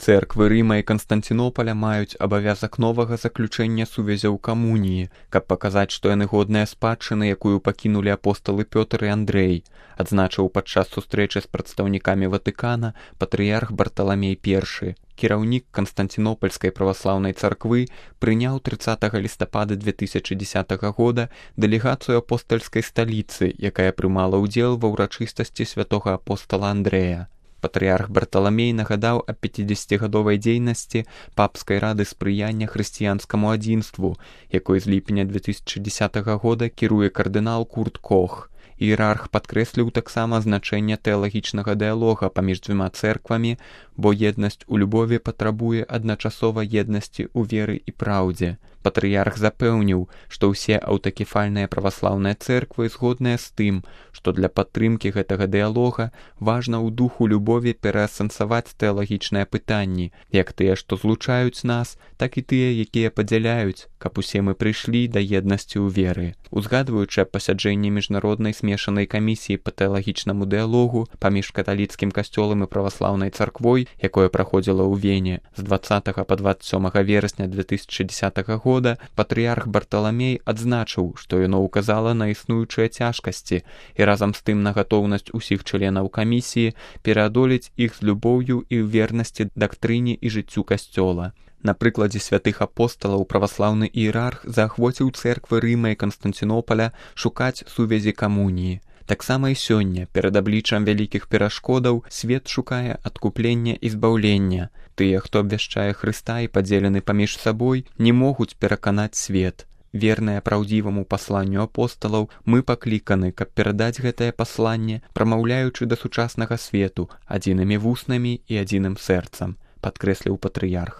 Цэрквы Рыма і Канстанцінопаля маюць абавязак новага заключэння сувязяў камуніі, каб паказаць, што яны годныя спадчыны, якую пакінулі апосталы Пётр і Андрэй, адзначыў падчас сустрэчы з прадстаўнікамі Ватыкана патрыярх Барталамей I. Кіраўнік Канстанцінопальскай праваслаўнай царквы прыняў 30 лістапада 2010 года дэлегацыю апостальскай сталіцы, якая прымала ўдзел ва ўрачыстасці святога апостала Андрэя. Патрыярх Барталамей нагадаў аб 50-гадовай дзейнасці папскай рады спрыяння хрысціянскаму адзінству, якой з ліпеня 2010 года кіруе кардынал Курт Кох. Іерарх падкрэсліў таксама значэнне тэалагічнага дыялога паміж дзвюма цэрквамі, бо еднасць у любові патрабуе адначасова еднасці ў веры і праўдзе. Патрыярх запэўніў, што ўсе аўтакефальныя праваслаўныя цэрквы згодныя з тым, што для падтрымкі гэтага дыялога важна ў духу любові пераасэнсаваць тэалагічныя пытанні, як тыя, што злучаюць нас, так і тыя, якія падзяляюць, каб усе мы прыйшлі да еднасці ў веры. Узгадваючы аб пасяджэнні міжнароднай смешанай камісіі па тэалагічнаму дыялогу паміж каталіцкім касцёлам і праваслаўнай царквой, якое праходзіла ў Вене з 20 па 27 верасня 2010 года, патрыярх Барталамей адзначыў, што яно ўказала на існуючыя цяжкасці і разам з тым на гатоўнасць усіх членаў камісіі пераадолець іх з любоўю і вернасці дактрыне і жыццю касцёла. На прыкладзе святых апосталаў праваслаўны іерарх заахвоціў цэрквы Рыма і Канстанцінопаля шукаць сувязі камуніі. Таксама і сёння, перад абліччам вялікіх перашкодаў, свет шукае адкуплення і збаўлення. Тыя, хто абвяшчае Хрыста і падзелены паміж сабой, не могуць пераканаць свет. Верныя праўдзіваму пасланню апосталаў, мы пакліканы, каб перадаць гэтае пасланне, прамаўляючы да сучаснага свету адзінымі вуснамі і адзіным сэрцам, падкрэсліў патрыярх.